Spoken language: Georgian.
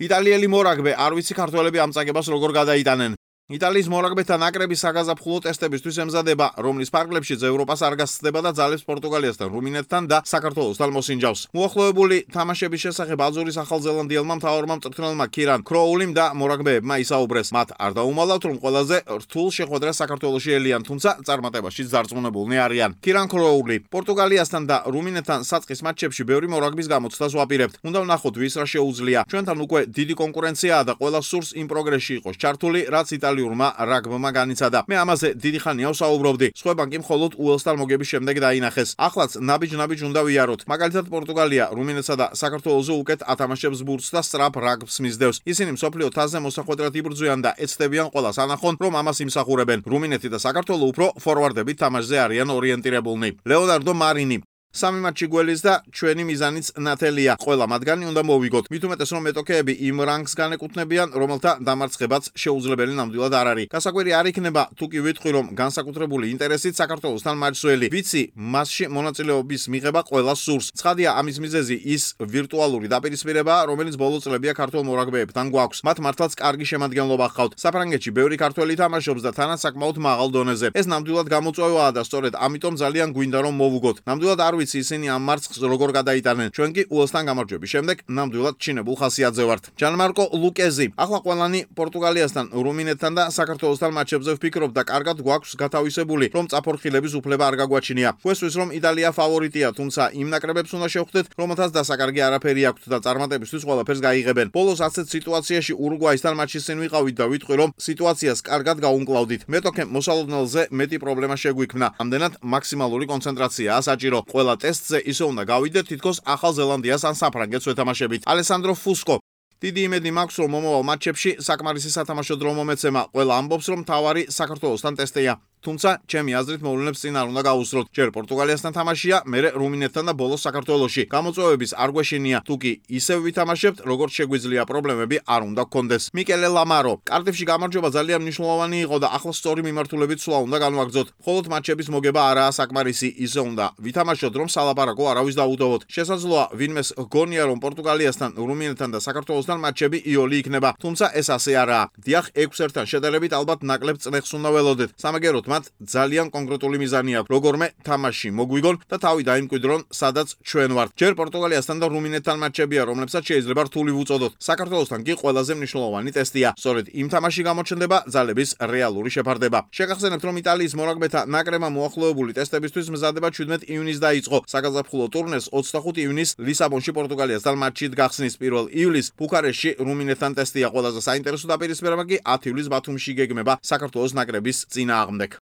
იტალიელი მორაგბე არ ვიცი ქართველები ამ წაგებას როგორ გადაიტანენ. იტალიის მორაგბეთა ნაკრების საგაზაფხულო ტესტებისთვის ემზადება, რომლის ფარგლებშიც ევროპას არ გასცდება და ძალებს პორტუგალიასთან, რუმინეთთან და საქართველოსთან მოსინჯავს. მოახლოებული თამაშების შესახებ აზურის ახალზელანდიელმა მთავარმა მწვრთნელმა კირან კროულიმ და მორაგბეებმა ისაუბრეს. მათ არ დაუმალავთ, რომ ყველაზე რთულ შეხვედრას საქართველოში ელიან, თუმცა წარმატებაშიც დარწმუნებულნი არიან. კირან კროული პორტუგალიასთან და რუმინეთთან საწყის მატჩებში ბევრი მორაგბის გამოცდას ვაპირებთ. უნდა ვნახოთ ვის რა შეუძლია. ჩვენთან უკვე დიდი კონკურენციაა და ყველა სურს იმ პროგრესში იყოს ჩართული, რაც იტალიურმა რაგბმა განიცადა. მე ამაზე დიდი ხანია ვსაუბრობდი. სხვებან კი მხოლოდ უელსთან მოგების შემდეგ დაინახეს. ახლაც ნაბიჯ უნდა ვიაროთ. მაგალითად პორტუგალია, რუმინეთსა და საქართველოზე უკეთ ათამაშებს ბურთს და სწრაფ რაგბს მისდევს. ისინი მსოფლიო თასზე მოსახვედრად იბრძვიან და ეცდებიან ყველას ანახონ, რომ ამას იმსახურებენ. რუმინეთი და საქართველო უფრო ფორვარდებით თამაშზე არიან ორიენტირებულნი. ლეონარდო მარინი სამი მატჩი გველის და ჩვენი მიზანიც ნათელია. ყველა მათგანი უნდა მოვიგოთ. მით უმეტეს რომ მეტოქეები იმ რანგს განეკუთვნებიან, რომელთა დამარცხებაც შეუძლებელი ნამდვილად არ არის. გასაკვირი არ იქნება თუ კი ვიტყვი, რომ განსაკუთრებული ინტერესით საქართველოსთან მატჩსველი. ვიცი, მასში მონაწილეობის მიღება ყველას სურს. ცხადია, ამის მიზეზი ის ვირტუალური დაპირისპირებაა, რომელიც ბოლო წლებია ქართველ მორაგბეებთან გვაქვს. მათ მართლაც კარგი შემადგენლობა ჰყავთ. საფრანგეთში ბევრი ქართველი თამაშობს და თანაც საკმაოდ მაღალ დონეზე. ეს ნამდვილად გამოწვევაა და სწორედ ამიტომ ძალიან გვინდა რომ მოვუგოთ. ნამდვილად არ ისინი ამ მარცხს როგორ გადაიტანენ. ჩვენ კი უელსთან გამარჯვების შემდეგ ნამდვილად ჩინებულ ხასიათზე ვართ. ჯანმარკო ლუკეზი ახლა ყველანი პორტუგალიასთან, რუმინეთთან და საქართველოსთან მატჩებზე ვფიქრობ და კარგად გვაქვს გათავისებული, რომ წაფორხილების უფლება არ გაგვაჩინია. გვესვის რომ იტალია ფავორიტია, თუმცა იმ ნაკრებებს უნდა შევხვდეთ, რომელთაც დასაკარგი არაფერი აქვთ და წარმატებისთვის ყველაფერს გაიღებენ. ბოლოს ასეთ სიტუაციაში ურუგვაისთან მატჩის წინ ვიყავით და ვიტყვი, რომ სიტუაციას კარგად გაუმკლავდით. მეტოქემ მოსალოდნელზე მეტი პრობლემა შეგვიქმნა. ამდენად მაქსიმალური კონცენტრაციაა საჭირო. ყველა ტესტზე ისე უნდა გავიდეთ, თითქოს ახალ ზელანდიას ან საფრანგეთს ვეთამაშებით. ალესანდრო ფუსკო დიდი იმედი მაქვს, რომ მომავალ მატჩებში საკმარისი სათამაშო დრო მომეცემა. ყველა ამბობს, რომ თავარი საქართველოსთან ტესტია. თუმცა ჩემი აზრით მოვლენებს წინ არ უნდა გაუსროთ. ჯერ პორტუგალიასთან თამაშია, მერე რუმინეთთან და ბოლოს საქართველოში. გამოწვევების არ გვეშინია, თუ კი ისევ ვითამაშებთ, როგორც შეგვიძლია, პრობლემები არ უნდა გქონდეს. მიკელე ლამარო კარტიფში გამარჯვება ძალიან მნიშვნელოვანი იყო და ახლა სწორი მიმართულებით სვლა უნდა განვაგრძოთ. მხოლოდ მატჩების მოგება არაა საკმარისი, ისე უნდა ვითამაშოთ, რომ სალაპარაკო არავის დაუტოვოთ. შესაძლოა ვინმეს გონია, რომ პორტუგალიასთან, რუმინეთთან და საქართველოსთან მატჩები იოლი იქნება, თუმცა ეს ასე არაა. დიახ, 6-1-თან შედარებით ალბათ ნაკლებ წნეხს უნდა ველოდეთ. სამაგეროდ მათ ძალიან კონკრეტული მიზანი აქვს. როგორმე თამაში მოგვიგონ და თავი დაიმკვიდრონ, სადაც ჩვენ ვართ. ჯერ პორტუგალიასთან და რუმინეთთან მატჩებია, რომლებსაც შეიძლება რთული ვუწოდოთ. საქართველოსთან კი ყველაზე მნიშვნელოვანი ტესტია. სწორედ იმ თამაში გამოჩნდება ძალების რეალური შეფარდება. შეგახსენებთ, რომ იტალიის მორაგბეთა ნაკრებმა მოახლოებული ტესტებისთვის მზადება 17 ივნისს დაიწყო. საგაზაფხულო ტურნეს 25 ივნისს ლისაბონში პორტუგალიასთან მატჩით გახსნის. 1 ივლისს ბუქარესტში რუმინეთთან ტესტია. ყველაზე საინტერესო დაპირისპირება კი 10 ივლისს ბათუმში გეგმება საქართველოს ნაკრების წინააღმდეგ.